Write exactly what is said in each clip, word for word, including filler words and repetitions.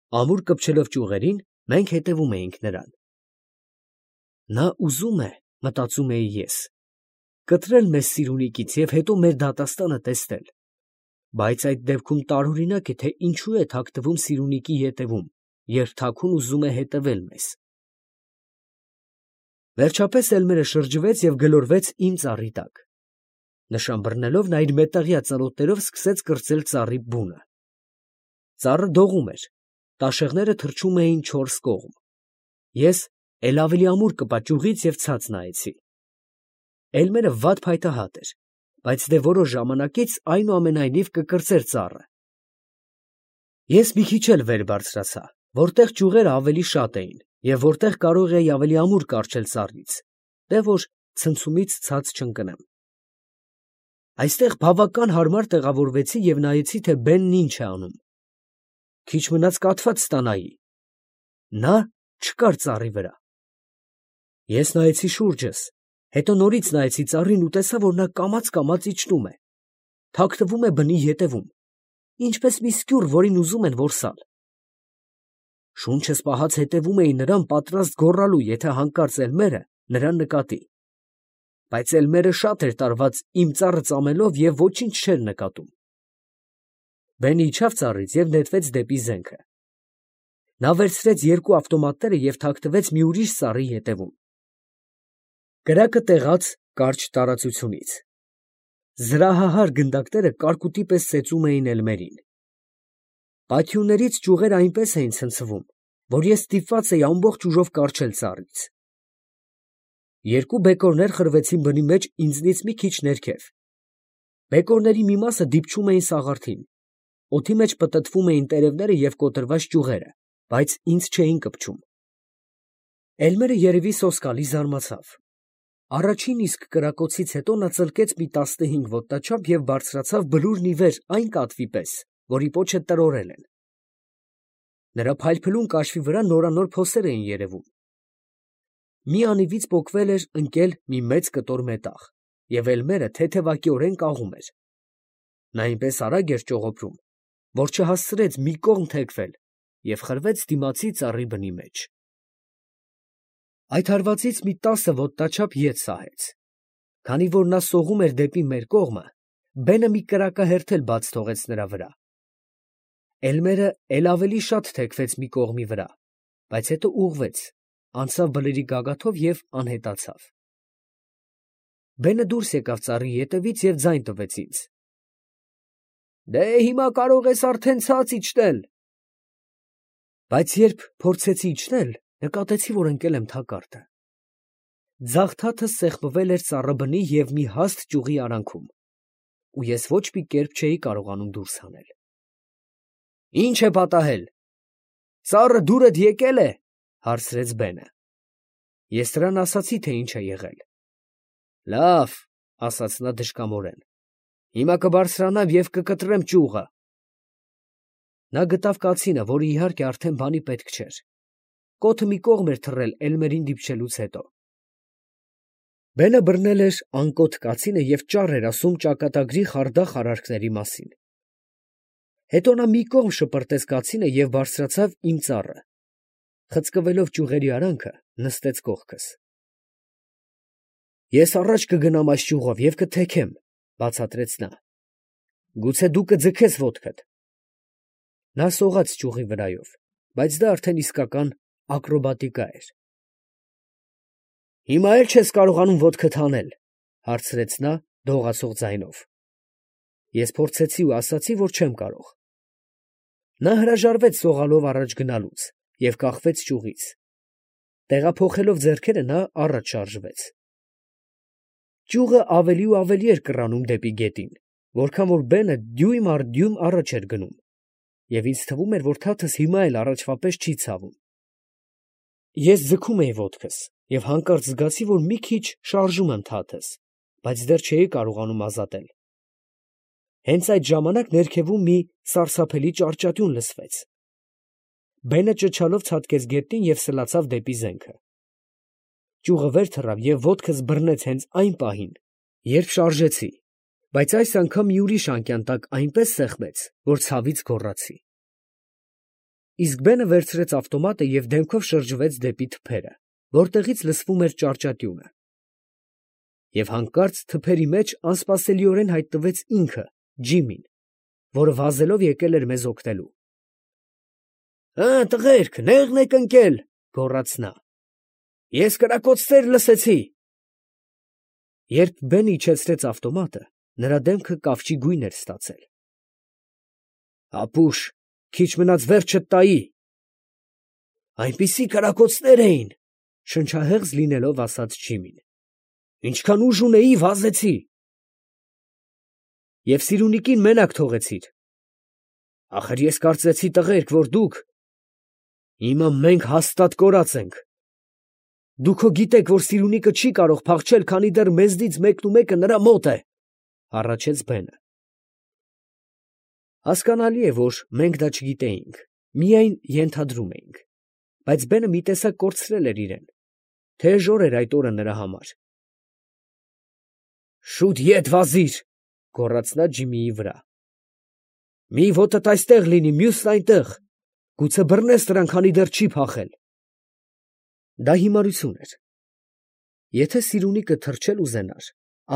Ամուր կպչելով ճյուղերին, մենք հետևում էինք նրան։ Նա ուզում է, մտածում էի ես, կտրել մեզ Սիրունիկից և հետո մեր դատաստանը տեսնել, բայց այդ դեպքում տարօրինակ է, թե ինչու է թաքնվում Սիրունիկի ետևում, երբ թաքուն ուզում է հետևել մեզ։ Վերջապես Էլմերը շրջվեց և գլորվեց իմ ծառի տակ։ Նշան բռնելով, նա իր մետաղյա ծանոթներով սկսեց կրծել ծառի բունը։ Ծառը դողում էր, տաշեղները թռչում էին չորս կողմ։ Ես էլ ավելի ամուր կպա ճյուղից և ցած նայեցի։ Էլմերը վատ փայտահատ էր, բայց դե որոշ ժամանակից այնուամենայնիվ կկրծեր ծառը։ Ես մի քիչ էլ վեր բարձրացա, որտեղ ճյուղերը ավելի շատ էին և որտեղ կարող էի ավելի ամուր կառչել ծառից, դե որ ցնցումից ցած չընկնեմ։ Այստեղ բավական հարմար տեղավորվեցի և նայեցի, թե բենն ինչ է անում։ Քիչ մնաց կաթված ստանայի։ Նա չկար ծառի վրա։ Ես նայեցի շուրջս, հետո նորից նայեցի ծառին ու տեսա, որ նա կամաց֊կամաց իջնում է, թաքնվում է բնի ետևում, ինչպես մի սկյուռ, որին ուզում են որսալ։ Շունչս պահած հետևում էի նրան, պատրաստ գոռալու, եթե հանկարծ Էլմերը նրան նկատի։ Բայց Էլմերը շատ էր տարված իմ ծառը ծամելով և ոչինչ չէր նկատում։ Բենը իջավ ծառից և նետվեց դեպի զենքը։ Նա վերցրեց երկու ավտոմատները և թաքնվեց մի ուրիշ ծառի ետևում։ Կրակը տեղաց կարճ տարածությունից։ Զրահահար գնդակները կարկուտի պես ծեծում էին Էլմերին։ Պաթիուներից ճյուղերը այնպես էին ցնցվում, որ ես ստիպված էի ամբողջ ուժով կառչել ծառից։ Երկու բեկորներ խրվեցին բնի մեջ ինձնից մի քիչ ներքև։ Բեկորների մի մասը դիպչում էին սաղարթին, օդի մեջ պտտվում էին տերևները և կոտրված ճյուղերը, բայց ինձ չէին կպչում։ Էլմերը երևի սոսկալի զարմացավ։ Առաջին իսկ կրակոցից հետո նա ծլկեց մի տասնհինգ ոտնաչափ և բարձրացավ բլուրն ի վեր այն կատվի պես, որի պոչը տրորել են։ Նրա փայլփլուն կաշվի վրա նորանոր փոսեր էին երևում։ Մի անիվից պոկվել էր ընկել մի մեծ կտոր մետաղ, և Էլմերը թեթևակիորեն կաղում էր։ Նա այնպես արագ էր ճողոպրում, որ չհասցրեց մի կողմ թեքվել և խրվեց դիմացի ծառի բնի մեջ։ Այդ հարվածից մի տասը ոտնաչափ ետ սահեց։ Քանի որ նա սողում էր դեպի մեր կողմը, բենը մի կրակահերթ էլ բաց թողեց նրա վրա։ Էլմերը էլ ավելի շատ թեքվեց մի կողմի վրա, բայց հետո ուղղվեց, անցավ բլրի գագաթով և անհետացավ։ Բենը դուրս եկավ ծառի ետևից և ձայն տվեց ինձ։ «Դե հիմա կարող ես արդեն ցած իջնել»։ Բայց երբ փորձեցի իջնել, նկատեցի, որ ընկել եմ թակարդը։ Ձախ թաթս սեղմվել էր ծառաբնի և մի հաստ ճյուղի արանքում, ու ես ոչ մի կերպ չէի կարողանում դուրս հանել։ «Ի՞նչ է պատահել, ծառը դուրդ եկե՞լ է», հարցրեց բենը։ Ես նրան ասացի, թե ինչ է եղել։ «Լավ, ֊ ասաց նա դժկամորեն, ֊ հիմա կբարձրանամ և կկտրեմ ճյուղը»։ Նա գտավ կացինը, որը իհարկե արդեն բանի պետք չէր։ Կոթը մի կողմ էր թռել Էլմերին դիպչելուց հետո։ Բենը բռնել էր անկոթ կացինը և ճառ էր ասում ճակատագրի խարդախ արարքների մասին։ Հետո նա մի կողմ շպրտեց կացինը և բարձրացավ իմ ծառը։ Խցկվելով ճյուղերի արանքը, նստեց կողքս։ «Ես առաջ կգնամ այս ճյուղով և կթեքեմ», ֊ բացատրեց նա։ «Գուցե դու կձգես ոտքդ»։ Նա սողաց ճյուղի վրայով, բայց դա արդեն իսկական ակրոբատիկա էր։ «Հիմա էլ չես կարողանում ոտքդ հանել, ֊ հարցրեց նա դողացող ձայնով։ Ես փորձեցի ու ասացի, որ չեմ կարող։ Նա հրաժարվեց սողալով առաջ գնալուց և կախվեց ճյուղից։ Տեղափոխելով ձեռքերը, նա առաջ շարժվեց։ Ճյուղը ավելի ու ավելի էր կռանում դեպի գետին, որքան որ բենը դյույմ առ դյույմ առաջ էր գնում, և ինձ թվում էր, որ թաթս հիմա էլ առաջվա պես չի ցավում։ Ես ձգում էի ոտքս և հանկարծ զգացի, որ մի քիչ շարժում եմ թաթս, բայց դեռ չէի կարողանում ազատել։ Հենց այդ ժամանակ ներքևում մի սարսափելի ճարճատյուն լսվեց։ Բենը ճչալով ցատկեց գետնին և սլացավ դեպի զենքը։ Ճյուղը վեր թռավ և ոտքս բռնեց հենց այն պահին, երբ շարժեցի, բայց այս անգամ մի ուրիշ անկյան տակ այնպես սեղմեց, որ ցավից գոռացի։ Իսկ բենը վերցրեց ավտոմատը և դեմքով շրջվեց դեպի թփերը, որտեղից լսվում էր ճարճատյունը։ Եվ հանկարծ թփերի մեջ անսպասելիորեն հայտնվեց ինքը, Ջիմին, որը վազելով եկել էր մեզ օգնելու։ «Ա, տղերք, նեղն եք ընկել», գոռաց նա։ «Ես կրակոցներ լսեցի»։ Երբ բենը իջեցրեց ավտոմատը, նրա դեմքը կավճի գույն էր ստացել։ «Ապուշ, քիչ մնաց վերջդ տայի»։ «Այնպիսի կրակոցներ էին», շնչահեղձ լինելով ասաց Ջիմին։ «Ինչքան ուժ ունեի, վազեցի»։ «Եվ Սիրունիկին մենակ թողեցիր»։ «Ախր ես կարծեցի, տղերք, որ դուք…» «Հիմա մենք հաստատ կորած ենք»։ «Դուք հո գիտեք, որ Սիրունիկը չի կարող փախչել, քանի դեռ մեզնից մեկնումեկը նրա մոտ է», հառաչեց բենը։ Հասկանալի է, որ մենք դա չգիտեինք, միայն ենթադրում էինք, բայց բենը մի տեսակ կորցրել էր իրեն, թեժ օր էր այդ օրը նրա համար։ «Շուտ ետ վազիր», գոռաց նա Ջիմիի վրա։ «Մի ոտդ այստեղ լինի, մյուսն այնտեղ, գուցե բռնես նրան, քանի դեռ չի փախել»։ Դա հիմարություն էր։ Եթե Սիրունիկը թռչել ուզենար,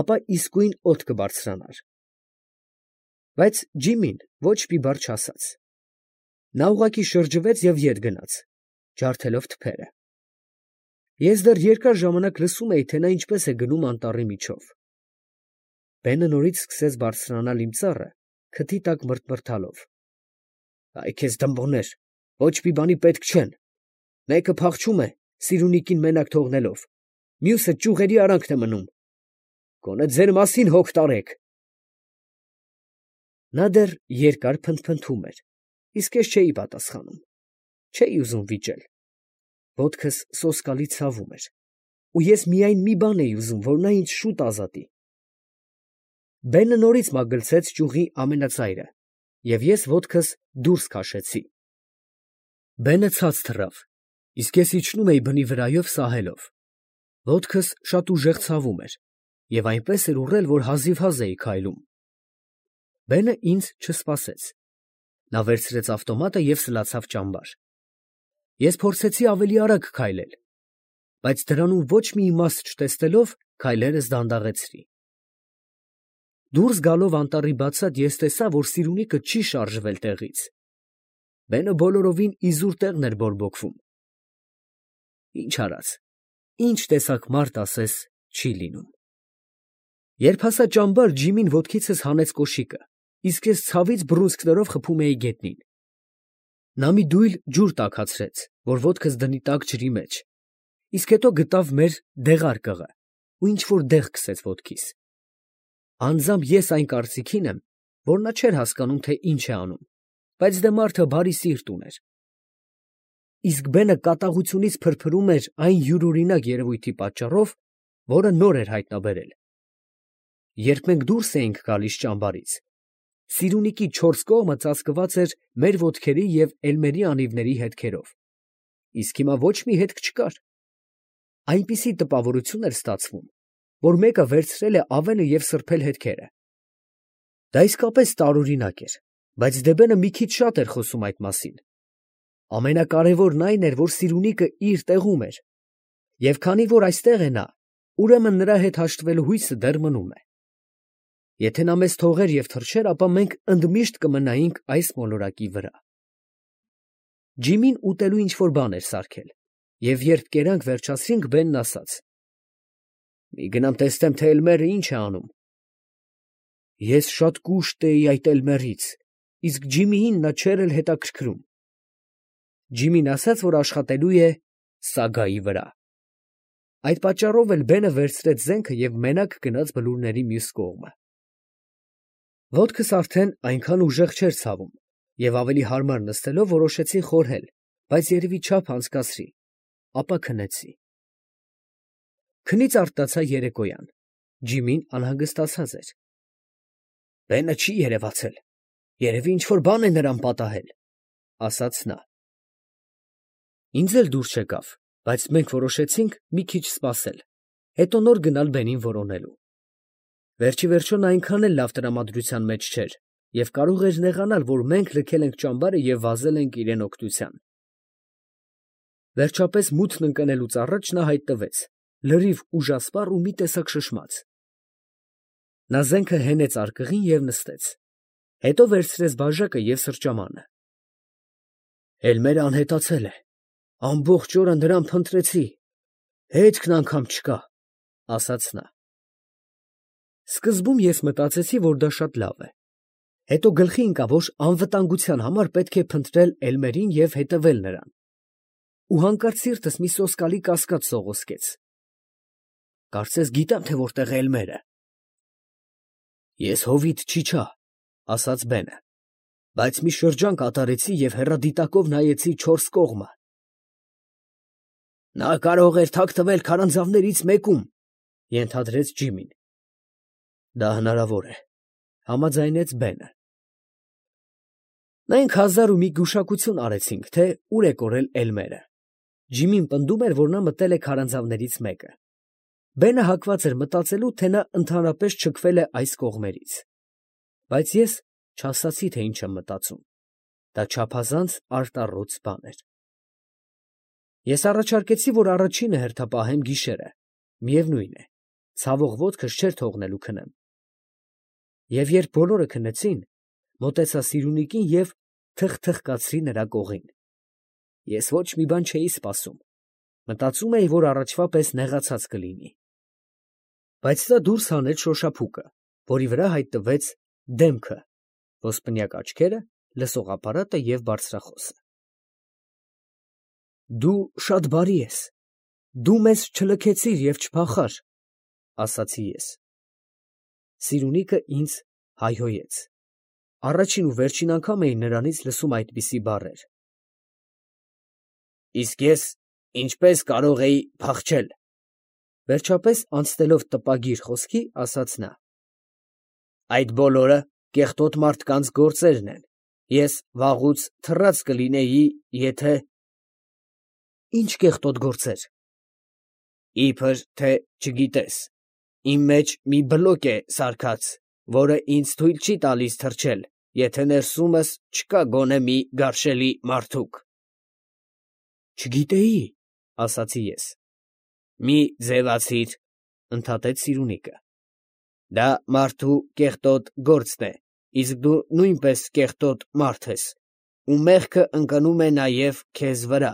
ապա իսկույն օդ կբարձրանար։ Բայց Ջիմին ոչ մի բառ չասաց։ Նա ուղղակի շրջվեց և ետ գնաց, ջարդելով թփերը։ Ես դեռ երկար ժամանակ լսում էի, թե նա ինչպես է գնում անտառի միջով։ Բենը նորից սկսեց բարձրանալ իմ ծառը, քթի տակ մռթմռթալով։ «Այ քեզ դմբոներ, ոչ մի բանի պետք չեն։ Մեկը փախչում է, Սիրունիկին մենակ թողնելով, մյուսը ճյուղերի արանքն է մնում։ Գոնե ձեր մասին հոգ տարեք»։ Նա դեռ երկար փնթփնթում էր, իսկ ես չէի պատասխանում, չէի ուզում վիճել։ Ոտքս սոսկալի ցավում էր, ու ես միայն մի բան էի ուզում, որ նա ինձ շուտ ազատի։ Բենը նորից մագլցեց ճյուղի ամենածայրը, և ես ոտքս դուրս քաշեցի։ Բենը ցած թռավ, իսկ ես իջնում էի բնի վրայով սահելով։ Ոտքս շատ ուժեղ ցավում էր, և այնպես էր ուռել, որ հազիվհազ էի քայլում։ Բենը ինձ չսպասեց։ Նա վերցրեց ավտոմատը և սլացավ ճամբար։ Ես փորձեցի ավելի արագ քայլել, բայց դրանում ոչ մի իմաստ չտեսնելով, քայլերս դանդաղեցրի։ Դուրս գալով անտառի բացատ, ես տեսա, որ Սիրունիկը չի շարժվել տեղից։ Բենը բոլորովին իզուր տեղն էր բորբոքվում։ Ինչ արած, ինչ տեսակ մարդ ասես չի լինում։ Երբ հասա ճամբար, Ջիմին ոտքիցս հանեց կոշիկը, իսկ ես ցավից բռունցքներով խփում էի գետնին։ Նա մի դույլ ջուր տաքացրեց, որ ոտքս դնի տաք ջրի մեջ, իսկ հետո գտավ մեր դեղարկղը ու ինչ֊որ դեղ քսեց ոտքիս։ Անձամբ ես այն կարծիքին եմ, որ նա չէր հասկանում, թե ինչ է անում, բայց դե մարդը բարի սիրտ ուներ։ Իսկ բենը կատաղությունից փրփրում էր այն յուրօրինակ երևույթի պատճառով, որը նոր էր հայտնաբերել։ Երբ մենք դուրս էինք գալիս ճամբարից, Սիրունիկի չորս կողմը ծածկված էր մեր ոտքերի և էլմերի անիվների հետքերով, իսկ հիմա ոչ մի հետք չկար։ Այնպիսի տպավորություն էր ստացվում, որ մեկը վերցրել է ավենը և սրբել հետքերը։ Դա իսկապես տարօրինակ էր, բայց Դեբենը մի քիչ շատ էր խոսում այդ մասին։ Ամենակարևորն այն էր, որ Սիրունիկը իր տեղում էր, և քանի որ այստեղ է նա, ուրեմն նրա հետ հաշտվելու հույսը դեռ մնում է։ Եթե նա մեզ թողեր և թռչեր, ապա մենք ընդմիշտ կմնայինք այս մոլորակի վրա։ Ջիմին ուտելու ինչ֊որ բան էր սարքել, և երբ կերանք վերջացրինք, Բենն ասաց. «Մի գնամ տեսնեմ, թե Էլմերը ինչ է անում»։ Ես շատ կուշտ էի այդ Էլմերից, իսկ Ջիմիին նա չէր էլ հետաքրքրում։ Ջիմին ասաց, որ աշխատելու է սագայի վրա։ Այդ պատճառով էլ Բենը վերցրեց զենքը և մենակ գնաց բլուրների մյուս կողմը։ Ոտքս արդեն այնքան ուժեղ չէր ցավում, և ավելի հարմար նստելով որոշեցի խորհել, բայց երևի չափ անցկացրի, ապա քնեցի։ Քնից արթնացա երեկոյան, Ջիմին անհանգստացած էր։ «Բենը չի երևացել, երևի ինչ֊որ բան է նրան պատահել», ասաց նա։ Ինձ էլ դուր չեկավ, բայց մենք որոշեցինք մի քիչ սպասել, հետո նոր գնալ բենին որոնելու։ Վերջիվերջո նա այնքան էլ լավ տրամադրության մեջ չէր, և կարող էր նեղանալ, որ մենք լքել ենք ճամբարը և վազել ենք իրան օգնության։ Վերջապես մութն ընկնելուց առաջ նա հայտնվեց, լրիվ ուժասպառ ու մի տեսակ շշմած։ Նա զենքը հենեց արկղին և նստեց, հետո վերցրեց բաժակը և սրճամանը։ Էլմերը անհետացել է, ամբողջ օրը նրան փնտրեցի, հետքն անգամ չկա, ֊ ասաց նա։ Սկզբում ես մտածեցի, որ դա շատ լավ է, հետո գլխի ընկավ, որ անվտանգության համար պետք է փնտրել Էլմերին և հետևել նրան, ու հանկարծ սիրտս մի սոսկալի կասկած սողոսկեց. կարծես գիտեմ, թե որտեղ է Էլմերը։ Ես հովիտ չիչա, ֊ ասաց Բենը, ֊ բայց մի շրջան կատարեցի և հեռադիտակով նայեցի չորս կողմը։ Նա կարող էր թաքնվել քարանձավներից մեկում, ֊ ենթադրեց Ջիմին։ Դա հնարավոր է, ֊ համաձայնեց Բենը։ Մենք հազար ու մի գուշակություն արեցինք, թե ուր է կորել Էլմերը։ Ջիմին պնդում էր, որ նա մտել է քարանձավներից մեկը։ Բենը հակված էր մտածելու, թե նա ընդհանրապես չքվել է այս կողմերից։ Բայց ես չասացի, թե ինչ եմ մտածում. դա չափազանց արտառոց բան էր։ Ես առաջարկեցի, որ առաջինը հերթապահեմ գիշերը, միևնույն է, ցավող ոտքս չէր թողնելու քնեմ։ Եվ երբ բոլորը քնեցին, մոտեցա Սիրունիկին և թխթխկացրի նրա կողին։ Ես ոչ մի բան չէի սպասում, մտածում էի, որ առաջվա պես նեղացած կլինի։ Բայց նա դուրս հանեց շոշափուկը, որի վրա հայտնվեց դեմքը, ոսպնյակ աչքերը, լսողապարատը և բարձրախոսը։ Դու շատ բարի ես, դու մեզ չլքեցիր և չփախար, ֊ ասացի ես։ Սիրունիկը ինձ հայհոյեց։ Առաջին ու վերջին անգամ էի նրանից լսում այդպիսի բառեր։ Իսկ ես ինչպես կարող էի փախչել, ֊ վերջապես անցնելով տպագիր խոսքի, ասաց նա։ Այդ բոլորը կեղտոտ մարդկանց գործերն են, ես վաղուց թռած կլինեի, եթե… Ի՞նչ կեղտոտ գործեր։ Իբր թե չգիտես, իմ մեջ մի բլոկ է սարքած, որը ինձ թույլ չի տալիս թռչել, եթե ներսումս չկա գոնե մի գարշելի մարդուկ։ Չգիտեի, ֊ ասացի ես։ Մի ձևացիր, ֊ ընդհատեց Սիրունիկը։ Դա մարդու կեղտոտ գործն է, իսկ դու նույնպես կեղտոտ մարդ ես, ու մեղքը ընկնում է նաև քեզ վրա,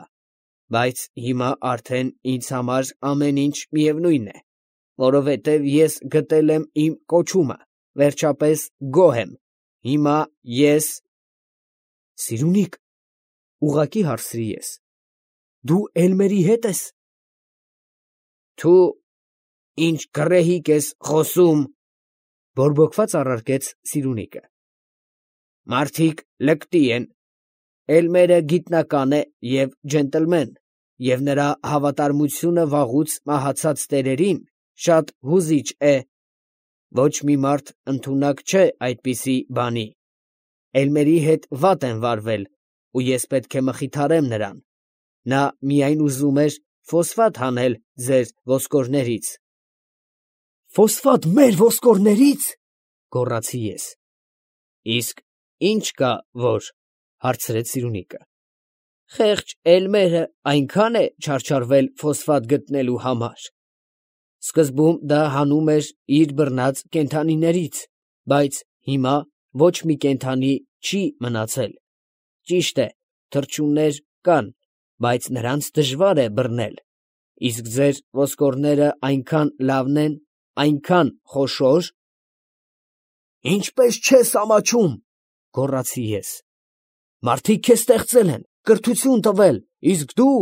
բայց հիմա արդեն ինձ համար ամեն ինչ միևնույն է, որովհետև ես գտել եմ իմ կոչումը, վերջապես գոհ եմ, հիմա ես… Սիրունի՛կ, ֊ ուղղակի հարցրի ես, ֊ դու Էլմերի հետ ես։ Թու, ինչ գռեհիկ ես խոսում, ֊ բորբոքված առարկեց Սիրունիկը։ Մարդիկ լկտի են, Էլմերը գիտնական է և ջենտլմեն, և նրա հավատարմությունը վաղուց մահացած տերերին շատ հուզիչ է։ Ոչ մի մարդ ընդունակ չէ այդպիսի բանի։ Էլմերի հետ վատ են վարվել, ու ես պետք է մխիթարեմ նրան։ Նա միայն ուզում էր ֆոսֆատ հանել ձեր ոսկորներից։ Ֆոսֆատ մեր ոսկորների՞ց, ֊ գոռացի ես։ Իսկ ի՞նչ կա որ, ֊ հարցրեց Սիրունիկը։ Խեղճ Էլմերը այնքան է չարչարվել ֆոսֆատ գտնելու համար։ Սկզբում դա հանում էր իր բռնած կենդանիներից, բայց հիմա ոչ մի կենդանի չի մնացել։ Ճիշտ է, թռչուններ կան, բայց նրանց դժվար է բռնել, իսկ ձեր ոսկորները այնքան լավն են, այնքան խոշոր… Ինչպես չես ամաչում, ֊ գոռացի ես։ Մարդիկ քեզ ստեղծել են, կրթություն տվել, իսկ դու…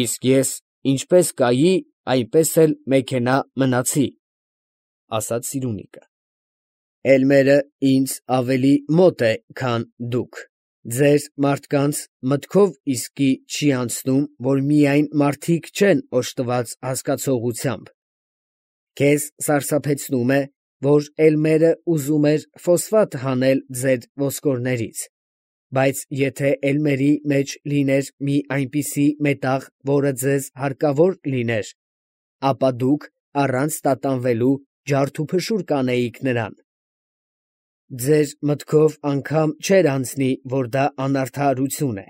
Իսկ ես ինչպես կայի, այնպես էլ մեքենա մնացի, ֊ ասաց Սիրունիկը։ Էլմերը ինձ ավելի մոտ է, քան դուք, ձեր մարդկանց մտքով իսկի չի անցնում, որ միայն մարդիկ չեն օժտված հասկացողությամբ։ Քեզ սարսափեցնում է, որ Էլմերը ուզում էր ֆոսֆատ հանել ձեր ոսկորներից, բայց եթե Էլմերի մեջ լիներ մի այնպիսի մետաղ, որը ձեզ հարկավոր լիներ, ապա դուք առանց տատանվելու ջարդ ու փշուր կանեիք նրան։ Ձեր մտքով անգամ չէր անցնի, որ դա անարդարություն է.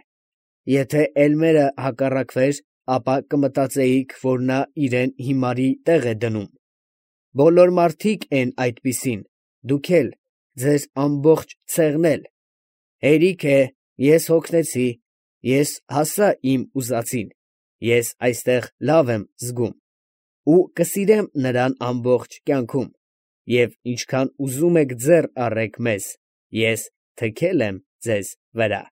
եթե Էլմերը հակառակվեր, ապա կմտածեիք, որ նա իրեն հիմարի տեղ է դնում։ Բոլոր մարդիկ են այդպիսին, դուք էլ, ձեր ամբողջ ցեղն էլ։ Հերիք է, ես հոգնեցի, ես հասա իմ ուզածին, ես այստեղ լավ եմ զգում, ու կսիրեմ նրան ամբողջ կյանքում, և ինչքան ուզում եք ձեռ առեք մեզ, ես թքել եմ ձեզ վրա։